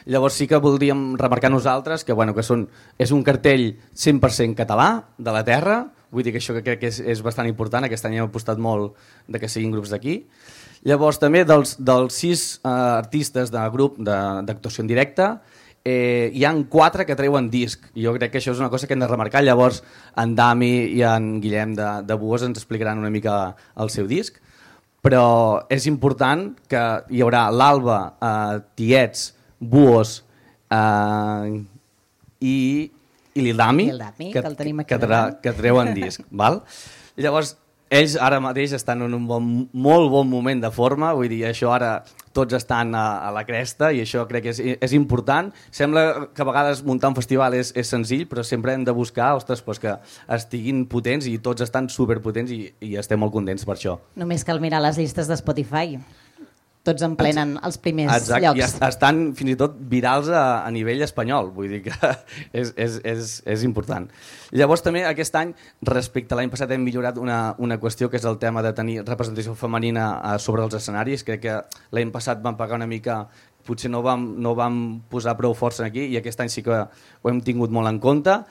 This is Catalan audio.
Llavors sí que voldríem remarcar nosaltres que, bueno, és un cartell 100% català, de la terra, vull dir que això crec que és bastant important, aquest any hem apostat molt de que siguin grups d'aquí. Llavors també dels 6 artistes de grup d'actuació en directe, hi han 4 que treuen disc. Jo crec que això és una cosa que hem de remarcar. Llavors en Dami i en Guillem de Buos ens explicaran una mica el seu disc, però és important que hi haurà l'Alba, Tiets, Buos i l'Ildami, que treuen disc. Val? Llavors, ells ara mateix estan en un molt bon moment de forma, vull dir, això ara tots estan a la cresta i això crec que és important. Sembla que a vegades muntar un festival és senzill, però sempre hem de buscar que estiguin potents i tots estan superpotents i estem molt contents per això. Només cal mirar les llistes de Spotify. Tots en plenen els primers llocs. I estan fins i tot virals a nivell espanyol, vull dir que és important. Llavors també aquest any, respecte a l'any passat, hem millorat una qüestió que és el tema de tenir representació femenina sobre els escenaris. Crec que l'any passat vam pagar una mica, potser no vam posar prou força aquí i aquest any sí que ho hem tingut molt en compte.